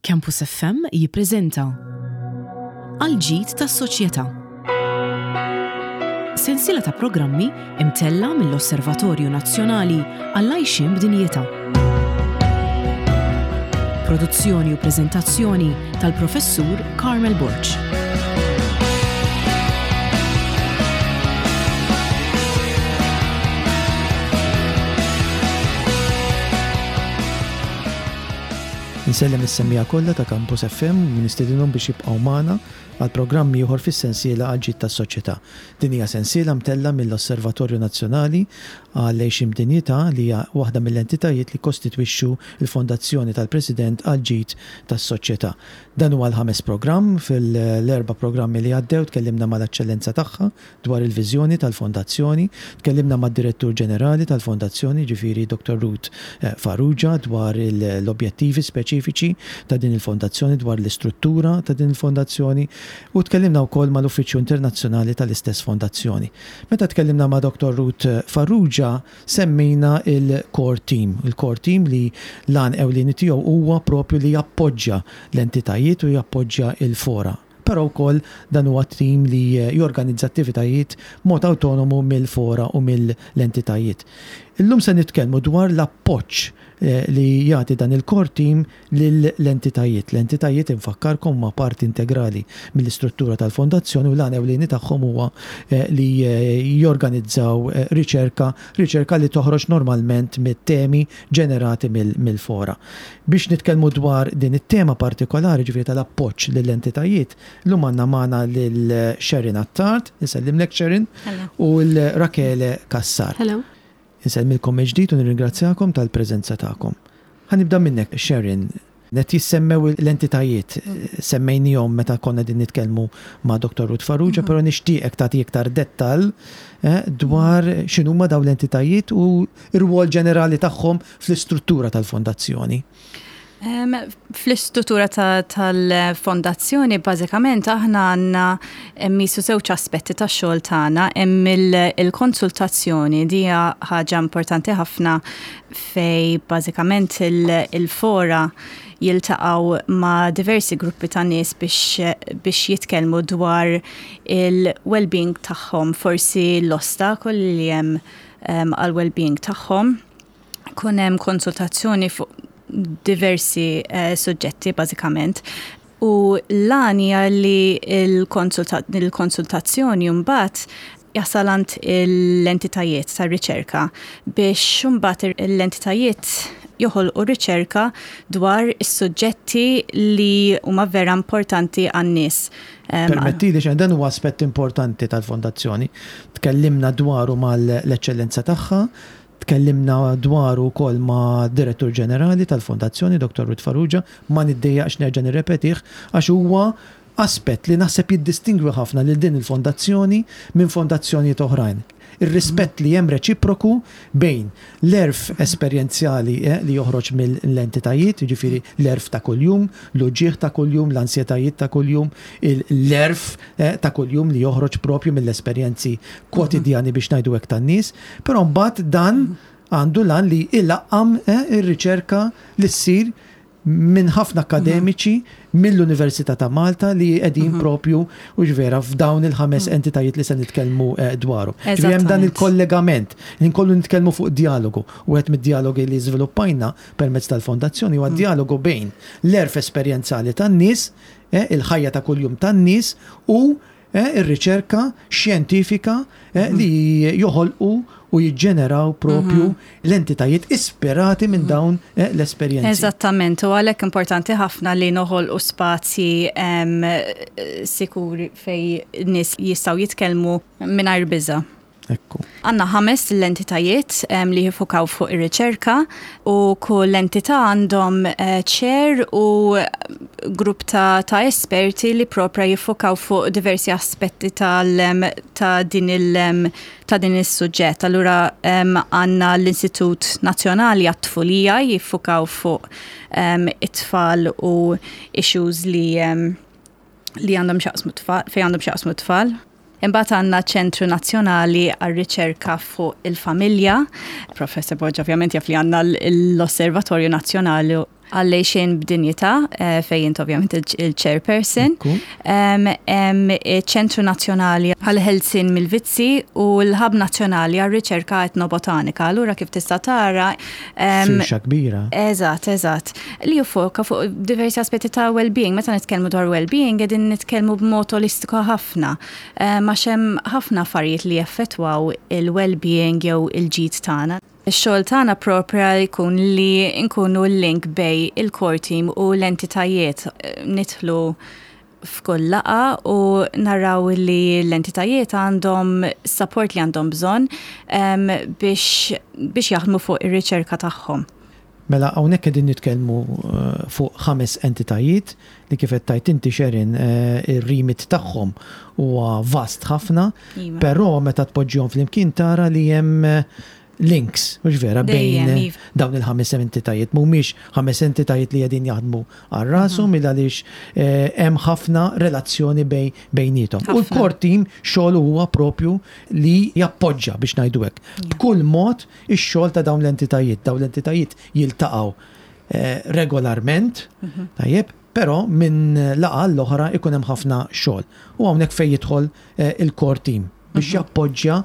Campus FM jippreżenta Għall-ġid tas-soċjetà. Sensiela ta' programmi imtella' mill-Osservatorju Nazzjonali għall-Għajxien b'Dinjità. Produzzjoni u preżentazzjoni tal-Professur Carmel Borg. Insellem is-semmiegħa kollha ta' Campus FM u nistedinhom biex jibqgħu magħna għal programm ieħor fis-sensiela Għall-Ġid tas-Soċjetà. Din hija sensiela mtellgħa mill-Osservatorju Nazzjonali għall-Għixien b'Dinjità li hija waħda mill-entitajiet li jikkostitwixxu l-Fondazzjoni tal-President għall-Ġid tas-Soċjetà. Dan huwa l-ħames programm. Fil-erba' programmi li għaddew tkellimna mal-Eċċellenza Tagħha dwar il-viżjoni tal-Fondazzjoni. Tkellimna mad-Direttur Ġenerali tal-Fondazzjoni, jiġifieri Dottor Ruth Farrugia, dwar l-objettivi speċifiċi ta' din il-Fondazzjoni, dwar l-istruttura ta' din il-Fondazzjoni u tkellimna wkoll mal-Uffiċċju Internazzjonali tal-istess Fondazzjoni. Meta tkellimna ma' Dottor Ruth Farrugia semmejna l-Core Team, il-Core Team li l-għan ewlieni tiegħu huwa propju li jappoġġja l-entitajiet u jappoġġja l-fora. Però wkoll dan huwa tim li jorganizza attivitajiet b'mod awtonomu mill-fora u mill-entitajiet. Illum se nitkellmu dwar l-appoġġ li jagħti dan il-core team lill-entitajiet. L-entitajiet, infakkarkom, huma parti integrali mill-istruttura tal-Fondazzjoni u l-għan ewlieni tagħhom huwa li jorganizzaw riċerka, riċerka li toħroġ normalment mit-temi ġenerati mill-fora. Biex nitkellmu dwar din it-tema partikolari, ġifieri tal-appoġġ lill-entitajiet, llum għandna magħna lil Sharon Attard, insellimlek Sharon, u l Rachele Cassar. Hello. Insellmilkom mill-ġdid u nirringrazzjakom tal-preżenza tagħkom. Ħa nibda minnek Sharon. Qed jissemmew l-entitajiet, semmejnihom meta konna qegħdin nitkellmu ma' Dottor Ruth Farrugia, però nixtieqek tagħti iktar dettall dwar x'inhuma dawn l-entitajiet u r-rwol ġenerali tagħhom fl-istruttura tal-fondazzjoni. Fl-istruttura tal-fondazzjoni bażikament aħna għandna misu żewġ aspetti tax-xogħol tagħna, hemm il-konsultazzjoni di hija ħaġa importanti ħafna fej bażikament il-fora jiltaqgħu ma' diversi gruppi ta' nies biex, biex jitkellmu dwar il-well-being tagħhom, forsi l-ostakoli li hemm għal-well-being tagħhom. Kun hemm konsultazzjoni fuq diversi eh, suġġetti bażikament. U l-għan hija li l-konsultazzjoni mbagħad jasal għand l-entitajiet tar-riċerka biex imbagħad l-entitajiet joħolqu riċerka dwar is-suġġetti li huma vera importanti għan-nies. Permettili xejn, dan huwa aspett importanti tal-Fondazzjoni. Tkellimna dwaru mal-Eċċellenza Tagħha, Tkellimna dwaru wkoll mad-Direttur Ġenerali tal-Fondazzjoni, Dottor Ruth Farrugia, ma niddejjaqx nerġa' nirrepetih għax huwa aspett li naħseb jiddistingwi ħafna lil din il-fondazzjoni minn fondazzjonijiet oħrajn. Ir-rispett li hemm reċiproku bejn l-għerf esperjenzjali li joħroġ mill-entitajiet, jiġifieri l-għerf ta' kuljum, l-uġigħ ta' kuljum, l-ansjetajiet ta' kuljum, l-għerf ta' kuljum li joħroġ proprju mill-esperjenzi kwotidjani biex ngħidu hekk tan-nies, però mbagħad dan għandu l-għan li ilaqqam ir-riċerka li ssir minn ħafna akkademiċi mill-Università ta' Malta li qegħdin propju u vera f'dawn il-ħames entitajiet li se nitkellmu dwarhom. Ġifieri hemm dan il-kollegament li nkollu nitkellmu fuq djalogu. Wieħed mid-djalogi li żviluppajna permezz tal-fondazzjoni huwa djalogu bejn l-għerf esperjenzali tan-nies, il-ħajja ta' kuljum tan-nies u ir-riċerka xjentifika li joħolqu u jiġġeneraw propju l-entitajiet ispirati minn dawn l-esperjenzi. Eżattament, u għalhekk importanti ħafna li noħolqu spazji sikuri fejn nies jistgħu jitkellmu mingħajr biża'. Ekku. Għandna ħames l-entitajiet li jifukaw fuq ir-riċerka u kull entità għandhom eh, chair u grupp ta', ta esperti li propra jiffukaw fuq diversi aspetti tal, ta' din il ta' din is-suġġett. Allura għandna l-Istitut Nazzjonali għat-Tfulija jiffukaw fuq it-tfal u issues li li għandhom xaqsmu tfal, fejn għandhom xaqsmu tfal. Imbagħad għandna ċentru nazzjonali għar-riċerka fuq il-familja. Professor Borg ovvjament jaf li għandna l-Osservatorju Nazzjonali. Għall-Għixien b'Dinjità fejn int ovvjament il-chairperson. Hemm iċ-Ċentru Nazzjonali għall-Ħelsien mill-Vizzji u l-Hub Nazzjonali għar-Riċerka Etnobotanika. Allura kif tista' tara. Firxa kbira. Eżatt, eżatt. Li jiffoka fuq diversi aspetti ta' well-being. Meta nitkellmu dwar well-being qegħdin nitkellmu b'mod olistiku ħafna. Għax hemm ħafna affarijiet li jeffettwaw il-well-being jew il-ġid tagħna. Ix-xogħol tagħna proprja jkun li nkunu l-link bejn il-core team u l-entitajiet. Nidħlu f'kull laqgħa u naraw li l-entitajiet għandhom support li għandhom bżonn biex biex jaħdmu fuq ir-riċerka tagħhom. Mela hawnhekk qegħdin nitkellmu fuq ħames entitajiet li kif qed tgħid inti Sharon ir-remit tagħhom huwa vast ħafna, però meta tpoġġihom flimkien tara li hemm links, mhux vera, bejn dawn il-ħames entitajiet. Mhumiex ħames entitajiet li qegħdin jaħdmu għal rashom il għaliex hemm ħafna relazzjoni bejniethom. U l-core team xogħlu huwa propju li jappoġġa biex ngħidu hekk. B'kull mod ix-xogħol ta' dawn l-entitajiet. Dawn l-entitajiet jiltaqgħu regolarment, tajjeb, però minn laqgħa għall-oħra jkun hemm ħafna xogħol. U hawnhekk fejn jidħol il-core team biex jappoġġja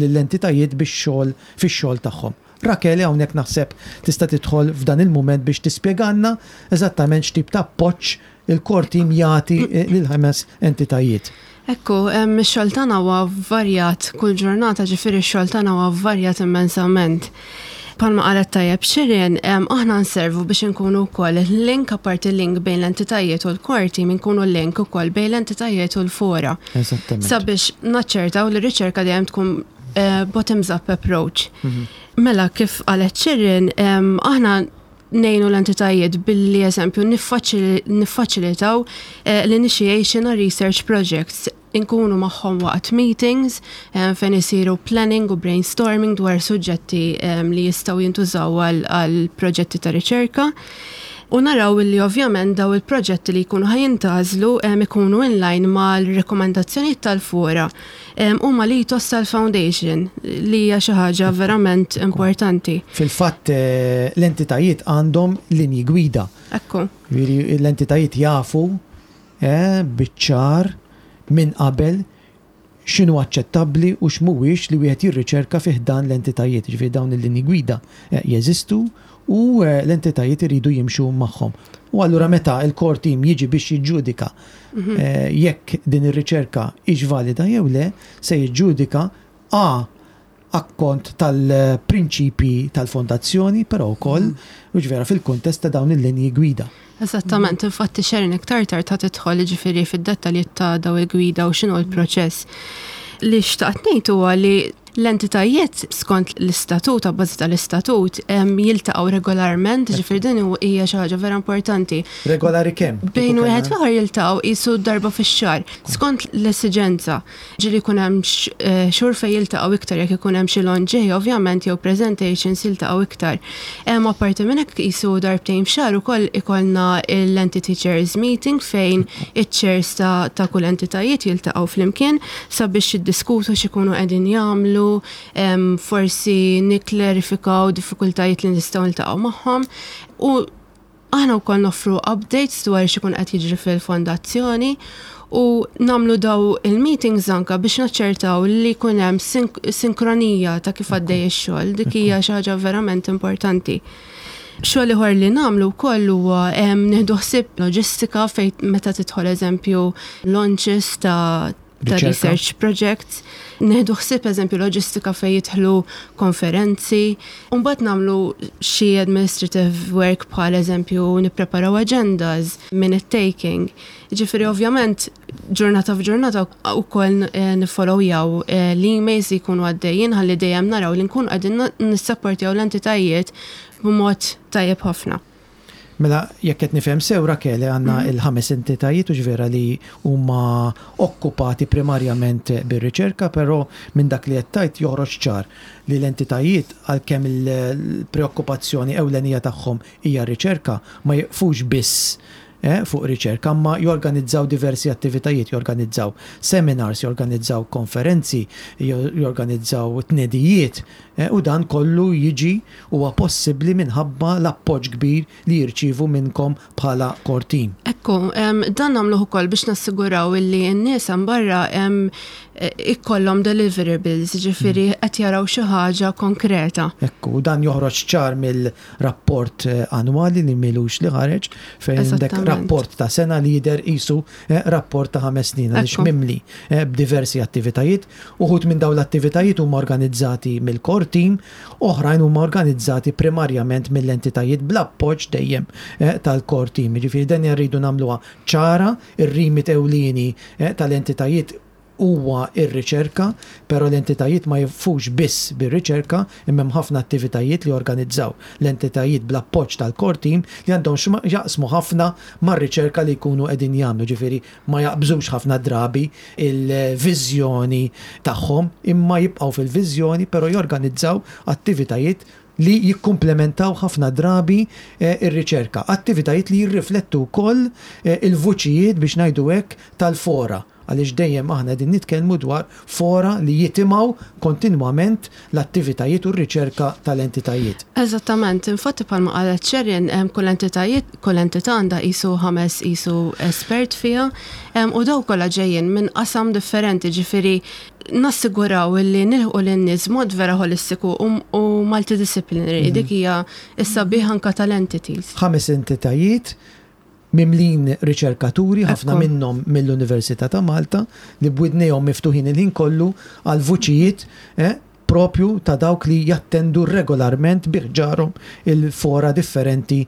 lill-entitajiet bix-xogħol fix-xogħol tagħhom. Rachele hawnhekk naħseb tista' tidħol f'dan il-mument biex tispjegalna eżattament x'tip ta' appoġġ il-core team jagħti lill-ħames entitajiet. Ekku, ix-xogħol tagħna huwa varjat kull ġurnata, ġifieri x-xogħol tagħna huwa varjat immensament. Palma qalet tajjeb Shirin, aħna nservu biex inkunu wkoll link apparti link bejn l-entitajiet u l-core team, inkunu link ukoll bejn l-entitajiet u l-fora. Sabiex naċċertaw li r-riċerka dejjem tkun bottoms up approach. Mela kif qalet Shirin, aħna ngħinu l-entitajiet billi eżempju niffaċilitaw l-initiation għal research projects. Inkunu magħhom waqt meetings fejn isiru planning u brainstorming dwar suġġetti li jistgħu jintużaw għal proġetti ta' riċerka. U naraw li ovvjament daw il-proġetti li jkunu ħa jintgħażlu ikunu in line mal-rekomendazzjonijiet tal-fora u mal-ethos tal-foundation li hija xi ħaġa verament importanti. Fil-fatt l-entitajiet għandhom linji gwida. Ekku. Jiġifieri l-entitajiet jafu biċ-ċar minn qabel x'inhu aċċettabbli u x'mhuwiex li wieħed jirriċerka fi ħdan l-entitajiet. Jiġifieri dawn il-linji gwida jeżistu u l-entitajiet iridu jimxu magħhom. U allura meta l-core team jiġi biex jiġġudika jekk din ir-riċerka hix valida jew le, se jiġġudika a akkont tal-prinċipji tal-fondazzjoni, però wkoll, hux vera, fil-kuntest ta' dawn il-linji gwida. Eżattament, infatti Sharon iktar tard ħa tidħol jiġifieri fid-dettalji ta' daw il-gwida u x'inhu l-proċess. Li xtaqt ngħid huwa li l-entitajiet skont l-istatut, abbażi tal-istatut, jiltaqgħu regolarment, jiġifieri din hija xi ħaġa vera importanti. Regolari kemm? Bejn wieħed u ieħor jiltaqgħu qisu darba fix-xahar, skont l-esiġenza. Ġieli jkun hemm xhur fejn jiltaqgħu iktar jekk ikun hemm xi launch ovvjament jew presentations jiltaqgħu iktar. Hemm apparti minn hekk qisu darbtejn f'xahar ukoll ikollna l-entity chairs meeting fejn iċ-chairs ta', ta kull entitajiet jiltaqgħu flimkien sabiex jiddiskutu x'ikunu qegħdin jagħmlu, forsi nikklarifikaw diffikultajiet li nistgħu niltaqgħu magħhom u Aħna wkoll noffru updates dwar x'ikun qed jiġri fil-fondazzjoni u nagħmlu daw il-meetings anka biex naċċertaw li jkun hemm sinkronija ta' kif għaddej ix-xogħol. Dik hija xi ħaġa verament importanti. Xogħol ieħor li nagħmlu wkoll huwa nieħdu ħsieb loġistika fejn meta tidħol eżempju launches ta' ta' research projects, neħdu ħsieb eżempju loġistika fejn jidħlu konferenzi, u mbagħad nagħmlu xi administrative work bħal eżempju nippreparaw agendas, minute taking. Ġifieri ovvjament ġurnata f'ġurnata wkoll eh, nifollowjaw eh, l-emails li jkunu għaddejjin ħalli dejjem naraw li nkunu qegħdin nissapportjaw l-entitajiet b'mod tajjeb ħafna. Mela, jekk qed nifhem sew, Rachele, għandna l-ħames entitajiet hux vera li huma okkupati primarjament bir-riċerka, però minn dak li qed tgħid joħroġ ċar li l-entitajiet għalkemm il-preokkupazzjoni ewlenija tagħhom hija r-riċerka, ma jiqfux biss. fuq riċerka, imma jorganizzaw diversi attivitajiet, jorganizzaw seminars, jorganizzaw konferenzi, jorganizzaw tnedijiet, u dan kollu jiġi huwa possibbli minħabba l-appoġġ kbir li jirċievu minnkom bħala core team. Ekku, dan nagħmluh ukoll biex nassiguraw illi n-nies hemm barra ikollhom deliverables, jiġifieri qed jaraw xi ħaġa konkreta. Ekku, u dan joħroġ ċar mill-rapport annwali li m'ilux li ħareġ, fejn għandek rapport ta' sena li jidher qisu rapport ta' ħames snin għaliex mimli b'diversi attivitajiet. Uħud minn dawn l-attivitajiet huma organizzati mill-core team, Oħrajn huma organizzati primarjament mill-entitajiet bl-appoġġ dejjem tal-core team. Jiġifieri din rridu nagħmluha ċara, ir-remit ewlieni tal-entitajiet huwa r-riċerka, però l-entitajiet ma jieqfux biss bir-riċerka imma hemm ħafna attivitajiet li jorganizzaw l-entitajiet bl-appoġġ tal-core team li għandhom x'jaqsmu ħafna mar-riċerka li jkunu qegħdin jagħmlu, jiġifieri ma jaqbżux ħafna drabi l-viżjoni tagħhom imma jibqgħu fil-viżjoni però jorganizzaw attivitajiet li jikkumplementaw ħafna drabi r-riċerka, attivitajiet li jirriflettu wkoll il-vuċijiet biex ngħidu hekk tal-fora għaliex dejjem aħna qegħdin nitkellmu dwar fora li jitimgħu kontinwament l-attivitajiet u r-riċerka tal-entitajiet. Eżattament, infatti bħalma qalet Sharon, kull entitajiet, kull entità għandha qisu ħames qisu espert fiha u dawn kollha ġejjin minn qasam differenti, ġifieri nassiguraw li nilħqu lin-nies b'mod vera ħolistiku u multidisciplinary, dik hija s-sabiħ anke tal-entities. Ħames entitajiet mimlin riċerkaturi, ħafna minnhom mill-Università ta' Malta, li b'widnejhom miftuħin il-ħin kollu għal vuċijiet propju ta' dawk li jattendu regolarment bi ħġarhom il-fora differenti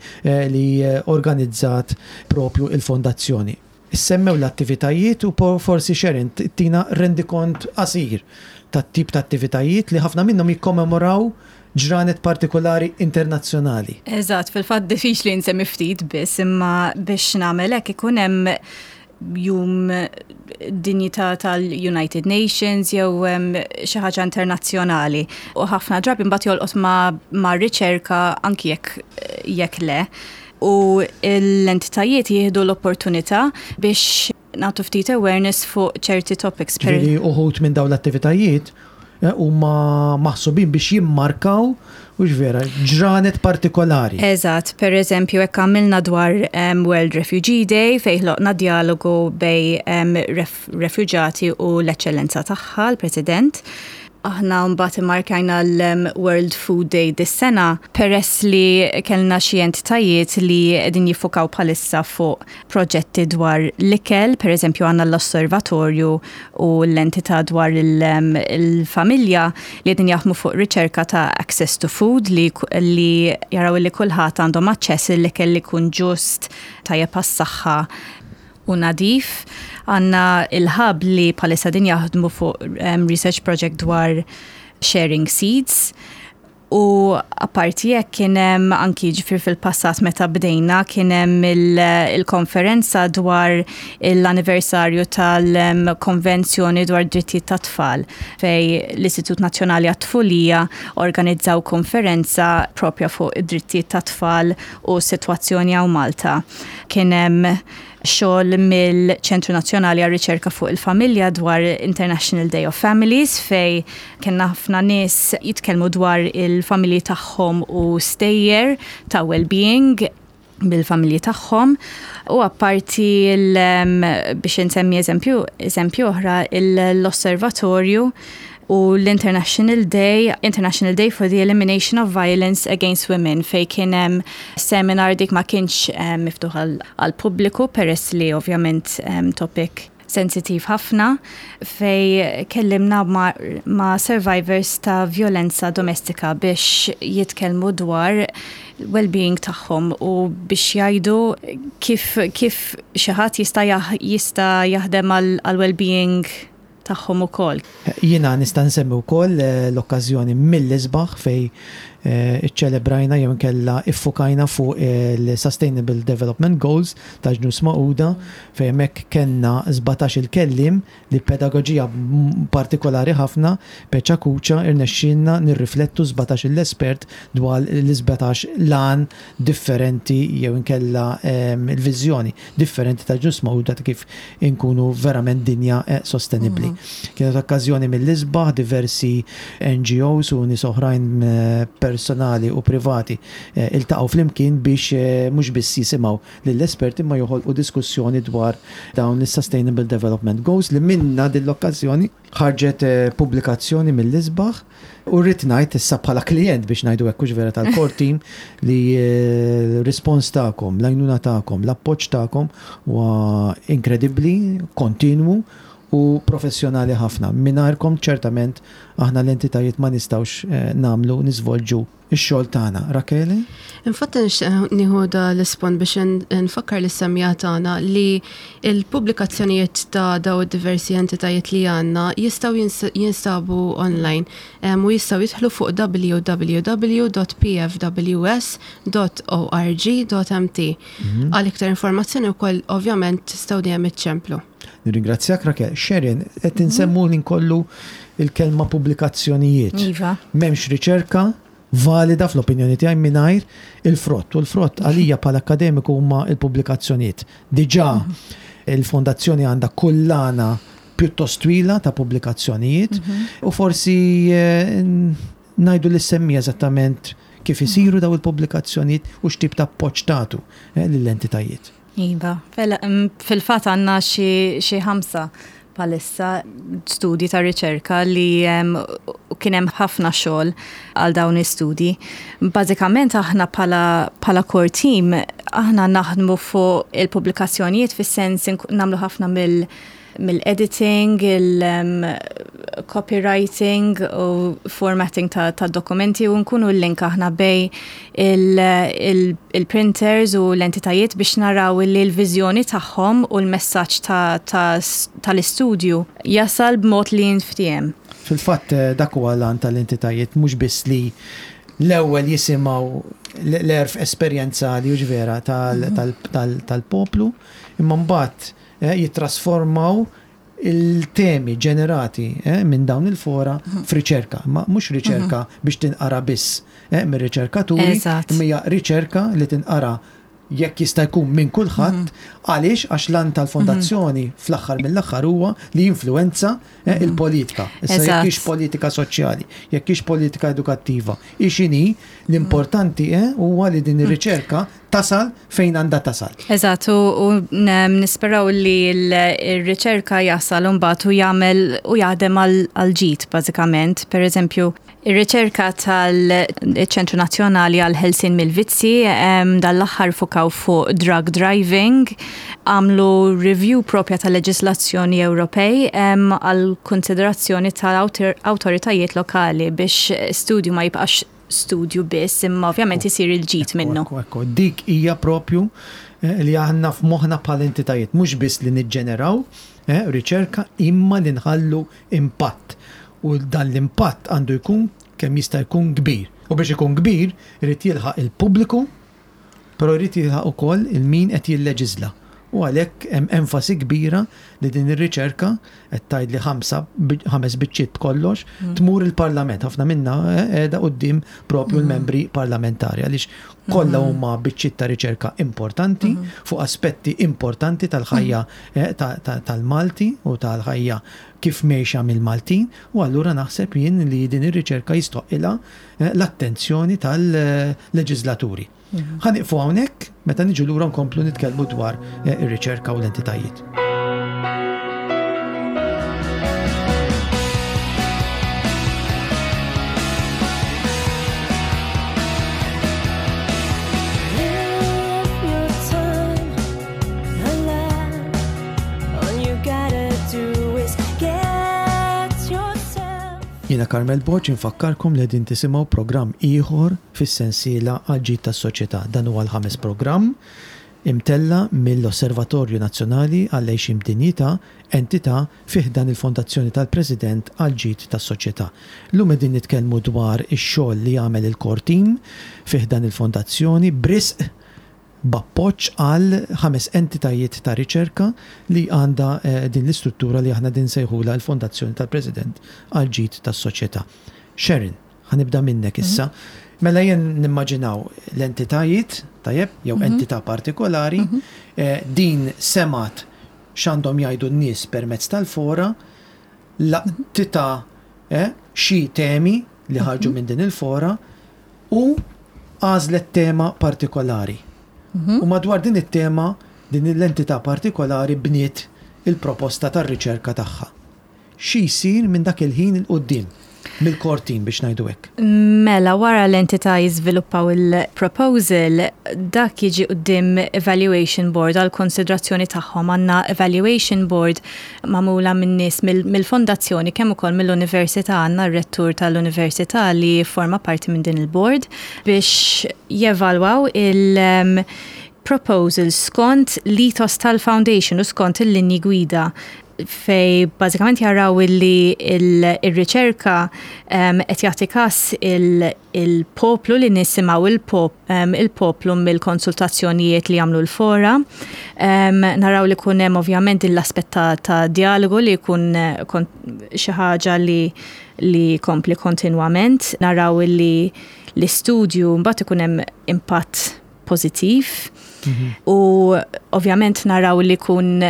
li organizzat propju il-Fondazzjoni. Issemmew l-attivitajiet u forsi Sharon ttina rendikont qasir tat-tip ta' attivitajiet li ħafna minnhom jikkommemoraw ġranet partikolari internazzjonali. Eżatt, fil-fatt diffiċli nsemmi ftit biss, imma biex nagħmel hekk ikun hemm jum dinjità tal-United Nations jew xi ħaġa internazzjonali. U ħafna drabi mbagħad jolqot ma', ma riċerka anki jekk jekk le. U l-entitajiet jieħdu l-opportunità biex nagħtu ftit awareness fuq ċerti topics. Per Ġifieri uħud minn dawn l-attivitajiet eh, huma maħsubin biex jimmarkaw hux vera, ġranet partikolari. Eżatt, per eżempju, hekk għamilna dwar um, World Refugee Day fejn ħloqna dialogu bejn um, ref refuġati u l-eċċellenza tagħha, l-President. Aħna mbagħad immarkajna l-World Food Day dis-sena peress li kellna xi entitajiet li qegħdin jiffukaw bħalissa fuq proġetti dwar l-ikel, per eżempju għandna l-osservatorju u l-entità dwar il-familja li qegħdin jaħdmu fuq riċerka ta' access to food li, li jaraw li kulħadd għandhom aċċess l-ikel li jkun ġust, tajjeb għas-saħħa u nadif. Għandna il-hub li bħalissa din jaħdmu fuq um, research project dwar sharing seeds. U apparti hekk kien hemm anki ġifier fil-passat meta bdejna kien hemm il-konferenza dwar l-anniversarju tal-Konvenzjoni dwar Drittijiet tat-Tfal fejn l-Istitut Nazzjonali għat-Tfulija organizzaw konferenza propja fuq id-drittijiet tat-tfal u s-sitwazzjoni hawn Malta. Kien hemm xogħol mill-Ċentru Nazzjonali għar-Riċerka fuq il-Familja dwar International Day of Families fejn kellna ħafna nies jitkellmu dwar il-familji tagħhom u stejjer ta' well-being bil-familji tagħhom u apparti biex insemmi eżempju eżempju oħra l-osservatorju u l-International Day, International Day for the Elimination of Violence Against Women fejn kien hemm seminar dik ma kienx eh, miftuħ għall-pubbliku peress li ovvjament eh, topic sensitiv ħafna fejn kellimna ma, ma survivors ta' violenza domestika biex jitkellmu dwar well-being tagħhom u biex jgħidu kif kif xi ħadd jista' jista' jaħdem għal well-being tagħhom ukoll. Jiena nista' nsemmi wkoll l-okkażjoni mill-isbaħ fejn Iċċelebrajna jew inkella iffukajna fuq il-Sustainable Development Goals ta' Ġnus Magħquda fejn hemmhekk kellna 17-il kelliem li b'pedagoġija partikolari ħafna, peċa kuċa, irnexxielna nirriflettu 17-il espert dwar l-17 l-għan differenti jew inkella l-viżjoni differenti ta' Ġnus Magħquda ta' kif inkunu verament dinja sostenibbli. Kienet okkażjoni mill-isbaħ, diversi NGOs u nies oħrajn personali u privati iltaqgħu flimkien biex mhux biss jisimgħu lill-esperti imma joħolqu diskussjoni dwar dawn is-Sustainable Development Goals li minnha din l-okkażjoni ħarġet pubblikazzjoni mill-isbaħ u rrid ngħid issa bħala klijent biex ngħidu hekk hux vera tal-core team li r-rispons tagħkom, l-għajnuna tagħkom, l-appoġġ tagħkom huwa inkredibbli, kontinwu u professjonali ħafna. Mingħajrkom ċertament aħna l-entitajiet ma nistgħux nagħmlu, niżvolġu ix-xogħol tagħna. Rachele? Infatti nixtieq nieħu da l-ispont biex nfakkar lis-semmiegħa tagħna li l-pubblikazzjonijiet ta' daw id-diversi entitajiet li għandna jistgħu jinstabu online u jistgħu jidħlu fuq www.pfws.org.mt. Għal iktar informazzjoni wkoll ovvjament tistgħu dejjem iċċemplu. Nirringrazzjak Raquel. Sharon, qed insemmu l kollu il-kelma pubblikazzjonijiet. Iva. M'hemmx riċerka valida fl-opinjoni tiegħi mingħajr il-frott. U l-frott għalija bħala akkademiku huma l-pubblikazzjonijiet. Diġà il-fondazzjoni għandha kullana pjuttost twila ta' pubblikazzjonijiet u forsi ngħidu lis-semmiegħa eżattament kif isiru daw il-pubblikazzjonijiet u x'tip ta' appoġġ tagħtu lill-entitajiet. Iva, fil-fatt għandna xi 5 bħalissa studji ta' riċerka li kien hemm ħafna xogħol għal dawn l-istudji. Bażikament aħna bħala core team aħna naħdmu fuq il-pubblikazzjonijiet fis-sens nagħmlu ħafna mill-editing, il-copywriting u formatting ta' dokumenti u nkunu l-link aħna bej il-printers u l-entitajiet biex naraw li l-viżjoni tagħhom u l-messaġġ tal-istudju jasal b'mod li jinftiehem. Fil-fatt dak huwa l-għan tal-entitajiet, mhux biss li l-ewwel jisimgħu l-għerf esperjenzali u vera tal-poplu, imma mbagħad jittrasformaw il-temi ġenerati minn dawn il-fora f'riċerka. Ma mhux riċerka biex tinqara biss mir-riċerkaturi, imma hija riċerka li tinqara jekk jista' jkun minn kulħadd, għaliex għax l-għan tal-fondazzjoni fl-aħħar mill-aħħar huwa li jinfluwenza il-politika. Issa jekk hix politika soċjali, jekk hix politika edukattiva, hi x'inhi, l-importanti huwa li din ir-riċerka tasal fejn għandha tasal. Eżatt, u nisperaw li l-riċerka jasal mbagħad u jagħmel u jaħdem għal ġid bażikament. Per eżempju, ir-riċerka tal-Ċentru Nazzjonali għal Ħelsien mill-Vizzi dal-aħħar fukaw fuq drug driving, għamlu review propja tal-leġislazzjoni Ewropej għal konsiderazzjoni tal-awtoritajiet lokali biex studju ma jibqax studju biss, imma ovvjament isir il-ġid minnu. Ekku, ekku, dik hija propju li aħna f'moħħna bħala entitajiet, mhux biss li niġġeneraw riċerka, imma li nħallu impatt. U dan l-impatt għandu jkun kemm jista' jkun kbir. U biex ikun kbir, irid jilħaq il-pubbliku, però jrid jilħaq ukoll il-min qed jilleġiżla. U għalhekk hemm enfasi kbira li din ir-riċerka qed tgħid li 5 biċċiet b'kollox tmur il-Parlament. Ħafna minna qiegħda quddiem propju l-membri parlamentari għaliex kollha huma biċċiet ta' riċerka importanti fuq aspetti importanti tal-ħajja tal-Malti u tal-ħajja kif mejxa mill-Maltin, u allura naħseb jien li din ir-riċerka jistoqilha l-attenzjoni tal-leġislaturi. Ħa nieqfu hawnhekk, meta niġu lura nkomplu nitkellmu dwar ir-riċerka u l-entitajiet. Jiena Carmel Borg infakkarkom li qegħdin tisimgħu programm ieħor fis-sensiela għall-ġid tas-soċjetà. Dan huwa l-ħames programm. imtella' mill-Osservatorju Nazzjonali għall-Għixien b'Dinjità, entità fi ħdan il-Fondazzjoni tal-President għall-Ġid tas-Soċjetà. Illum qegħdin nitkellmu dwar ix-xogħol li jagħmel il-Core Team fi ħdan il-Fondazzjoni b'risq b'appoġġ għal ħames entitajiet ta' riċerka li għandha din l-istruttura li aħna qegħdin nsejħulha l-Fondazzjoni tal-President għall-Ġid tas-Soċjetà. Sharon, ħa nibda minnek issa. Mela jien nimmaġinaw l-entitajiet, tajjeb, jew entità partikolari, din semgħet x'għandhom jgħidu n-nies permezz tal-fora, laqtitha xi temi li ħarġu minn din il-fora u għażlet tema partikolari. U madwar din it-tema, din l-entità partikolari bniet il-proposta tar-riċerka tagħha. Xi jsir minn dak il-ħin 'il quddiem, mill-core team biex ngħidu hekk? Mela, wara l-entità jiżviluppaw il-proposal, dak jiġi quddiem evaluation board għall-konsidrazzjoni tagħhom. Għandna evaluation board magħmula minn nies mill-fondazzjoni kemm ukoll mill-università, għandna r-rettur tal-università li jifforma parti minn din il-board biex jevalwaw il- proposal skont l-ethos tal-foundation u skont il-linji gwida fej bażikament jaraw illi il-riċerka qed jagħti każ il-poplu li nisimgħu il-poplu mill-konsultazzjonijiet li jagħmlu l-fora. Naraw li kun hemm ovvjament l-aspett ta' dialogu li jkun xi ħaġa li li kompli kontinwament. Naraw illi l-istudju mbagħad ikun hemm impatt pożittiv. Mhm. U ovvjament naraw li kun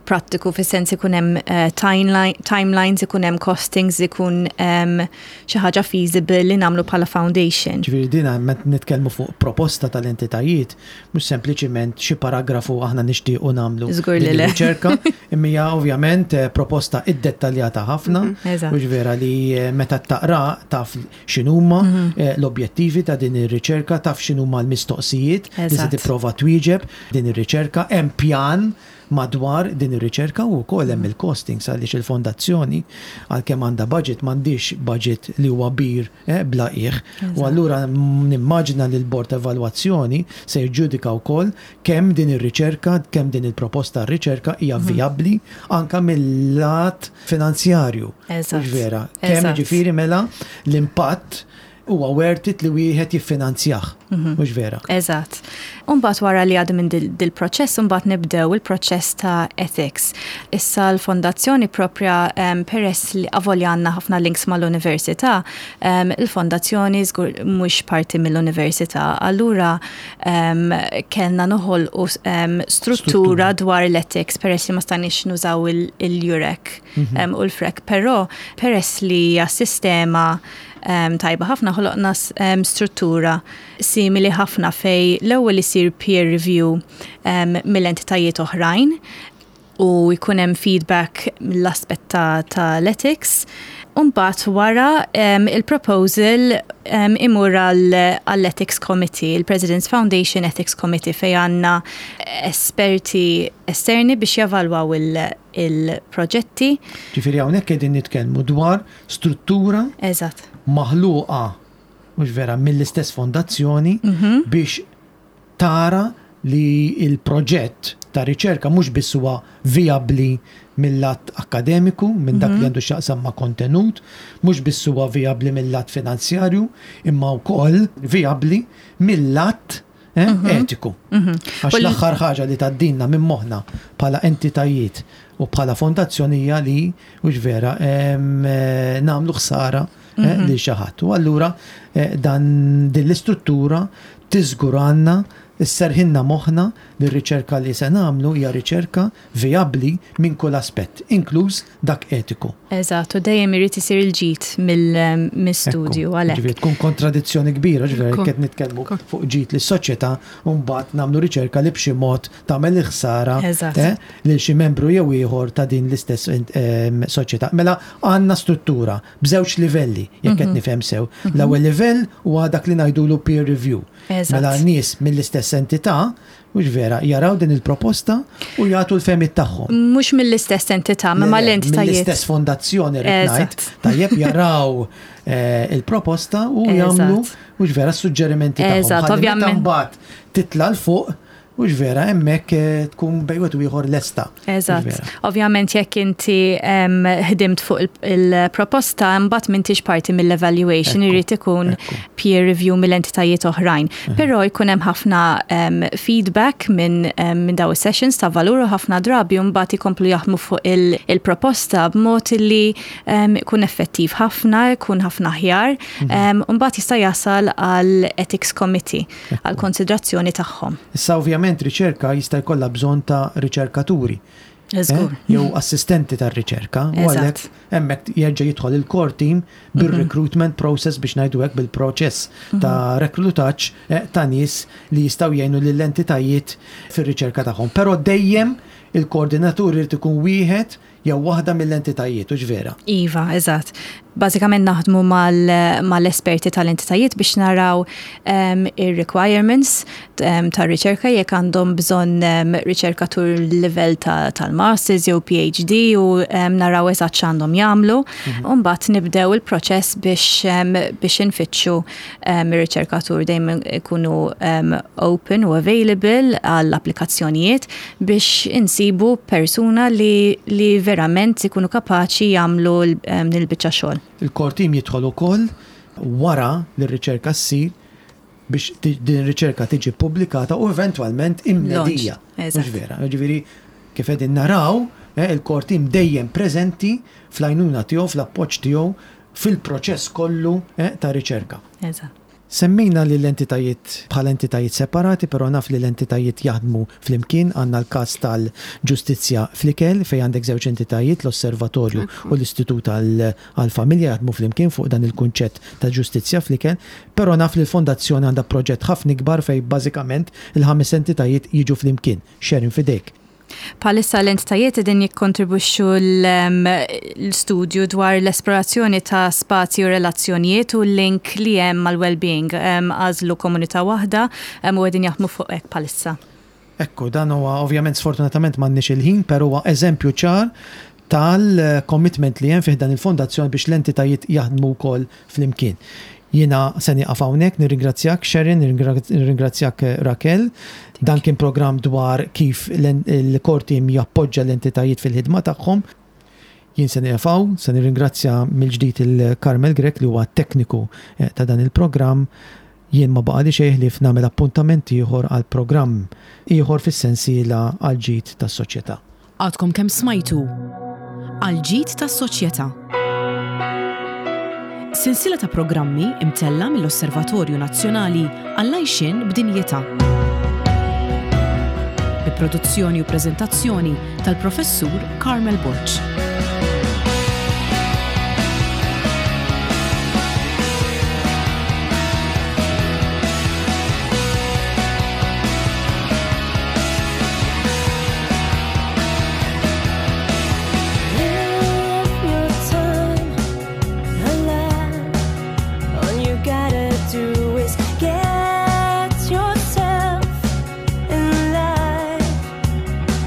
prattiku fis-sens ikun hemm eh, timelines, ikun hemm costings, ikun xi ħaġa feasible li nagħmlu bħala foundation. Ġifieri dina meta nitkellmu fuq proposta tal-entitajiet, mhux sempliċiment xi paragrafu aħna nixtiequ nagħmlu Żgur li le. riċerka, imma hija ovvjament eh, proposta iddettaljata ħafna, mhm, mhux vera li eh, meta taqra taf x'inhuma mhm. l-objettivi ta' din ir-riċerka, taf x'inhuma l-mistoqsijiet li se tipprova twieġeb din ir-riċerka, hemm pjan madwar din ir-riċerka u wkoll hemm il-costings għaliex il-fondazzjoni għalkemm għandha budget m'għandhiex budget li huwa bir eh, bla qiegħ. U allura nimmaġina li l-bord ta' evalwazzjoni se jiġġudika wkoll kemm din ir-riċerka, kemm din il-proposta għar-riċerka hija mhm. vijabbli anka mill-lat finanzjarju. Eżatt. Vera, kemm jiġifieri mela l-impatt huwa worth it li wieħed jiffinanzjah, mhm. mhux vera? Eżatt. Umbagħad wara li għadu minn dil-proċess, umbagħad nibdew il-proċess ta' ethics. Issa l-fondazzjoni propja peress li avolja għandna ħafna links mal-università, il-fondazzjoni żgur mhux parti mill-università. Allura kellna noħolqu struttura dwar l-ethics peress li ma stajniex nużaw il-jurek mhm. u l-frek, però peress li hija sistema tajba ħafna ħoloqna struttura simili ħafna fej l-ewwel isir peer review mill-entitajiet oħrajn u jkun hemm feedback mill-aspett ta', ta l-ethics. Umbat wara il-proposal imur għall-Ethics Committee, il-President's Foundation Ethics Committee fej għandna esperti esterni biex javalwaw il-proġetti. Ġifieri hawnhekk qegħdin nitkellmu dwar struttura Eżatt. maħluqa mhux vera mill-istess fondazzjoni mhm. biex tara li il-proġett ta' riċerka mhux biss huwa vijabbli mill-lat akkademiku, minn dak li mhm. għandu x'jaqsam ma' kontenut, mhux biss huwa vijabbli mill-lat finanzjarju, imma wkoll vijabbli mill-lat eh, mhm. etiku. Mhm. Għax l-aħħar ħaġa li tgħaddilna minn moħħna bħala entitajiet u bħala fondazzjoni hija li hux vera eh, nagħmlu ħsara eh, mhm. lil xi ħadd. U allura dan din l-istruttura tiżguranna isserħilna moħħna li r-riċerka li se nagħmlu hija riċerka vijabbli minn kull aspett, inkluż dak etiku. Eżatt, u dejjem irid isir il-ġid mill-istudju għalhekk. Ġifieri tkun kontradizzjoni kbira, ġifieri qed nitkellmu fuq ġid lis-soċjetà u mbagħad nagħmlu riċerka li b'xi mod tagħmel il-ħsara eh, lil xi membru jew ieħor ta' din l-istess ehm, soċjetà. Mela għandna struttura b'żewġ livelli, jekk qed mhm. nifhem sew. Mhm. L-ewwel livell huwa dak li ngħidulu peer review. Mela nies mill-istess entità Mhux vera, jaraw din il-proposta u jagħtu l-fehmiet tagħhom. Mhux mill-istess entità, ma mal-entitajiet. Mill-istess fondazzjoni rrid ngħid. Tajjeb jaraw eh, il-proposta u jagħmlu mhux vera suġġerimenti tagħhom. Eżatt, ovvjament. Mbagħad titla' l fuq. Hux vera, hemmhekk eh, tkun bejn wieħed u ieħor lesta. Eżatt. Ovvjament jekk inti ħdimt fuq il-proposta mbagħad m'intix parti mill-evaluation irid ikun peer review mill-entitajiet oħrajn. Mhm. Però jkun hemm ħafna feedback minn min daw is-sessions ta' valur u ħafna drabi mbagħad ikomplu jaħdmu fuq il-proposta b'mod li ikun effettiv ħafna, ikun ħafna aħjar, mhm. mbagħad jista' jasal għal ethics committee għal konsidrazzjoni tagħhom. Issa ovvjament riċerka jista' jkollha bżonn ta' riċerkaturi. Eh? Jew assistenti tar-riċerka. U għalhekk hemmhekk jerġa' jidħol il-core team mhm. bir-recruitment process biex ngħidu hekk bil-proċess mhm. ta' reklutaġġ eh, ta' nies li jistgħu jgħinu lill-entitajiet fir-riċerka tagħhom. Però dejjem il-koordinatur irid ikun wieħed jew waħda mill-entitajiet, hux vera? Iva, eżatt. Bażikament naħdmu mal-esperti tal-entitajiet biex naraw ehm, ir-requirements ehm, tar-riċerka jekk għandhom bżonn ehm, riċerkatur livell tal-masters jew PhD u naraw eżatt x'għandhom jagħmlu. Mhm. U mbagħad nibdew il-proċess biex biex infittxu ir-riċerkatur dejjem ikunu open u available għall-applikazzjonijiet biex insibu persuna li, li verament ikunu kapaċi jagħmlu din il-biċċa xogħol. Il-core team jidħol ukoll wara li r-riċerka ssir biex din ir-riċerka tiġi ppubblikata u eventwalment imnedija. Mhux vera. Ġifieri kif qegħdin naraw, eh, il-core team dejjem preżenti fl-għajnuna tiegħu, fl-appoġġ tiegħu fil-proċess kollu eh, ta' riċerka. Eżatt. Semmejna lill-entitajiet bħala entitajiet separati, però naf li l-entitajiet jaħdmu flimkien. Għandna l-każ tal-ġustizzja fl-ikel fejn għandek żewġ entitajiet, l-Osservatorju u l-Istitut għall-Familja jaħdmu flimkien fuq dan il-kunċett ta' ġustizzja fl-ikel. Però naf li l-Fondazzjoni għandha proġett ħafna ikbar fejn bażikament il-ħames entitajiet jiġu flimkien. Sharon f'idejk. Bħalissa l-entitajiet qegħdin jikkontribwixxu l-studju dwar l-esplorazzjoni ta' spazji u relazzjonijiet u l-link li hemm mal-well-being. Għażlu komunità waħda u qegħdin jaħdmu fuq hekk bħalissa. Ekku, dan huwa ovvjament sfortunatament m'għandniex il-ħin, però huwa eżempju ċar tal-commitment li hemm fi ħdan il-fondazzjoni biex l-entitajiet jaħdmu wkoll flimkien. Jiena se nieqaf hawnhekk, nirringrazzjak Sharon, nirringrazzjak Raquel. Dan kien programm dwar kif il-core team jappoġġa l-entitajiet fil-ħidma tagħhom. Jien se nieqaf hawn, se nirringrazzja mill-ġdid il Carmel Grech li huwa t-tekniku eh, ta' dan il-programm. Jien ma baqali xejn ħlief nagħmel appuntament ieħor għal programm ieħor fis-sensiela għall-ġid tas-soċjetà. Għadkom kemm smajtu Għall-ġid tas-soċjetà. Sensiela ta' programmi imtella' mill-Osservatorju Nazzjonali għall-Għajxien b'Dinjità. Bi produzzjoni u preżentazzjoni tal-Professur Carmel Borg.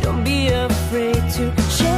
Don't be afraid to share.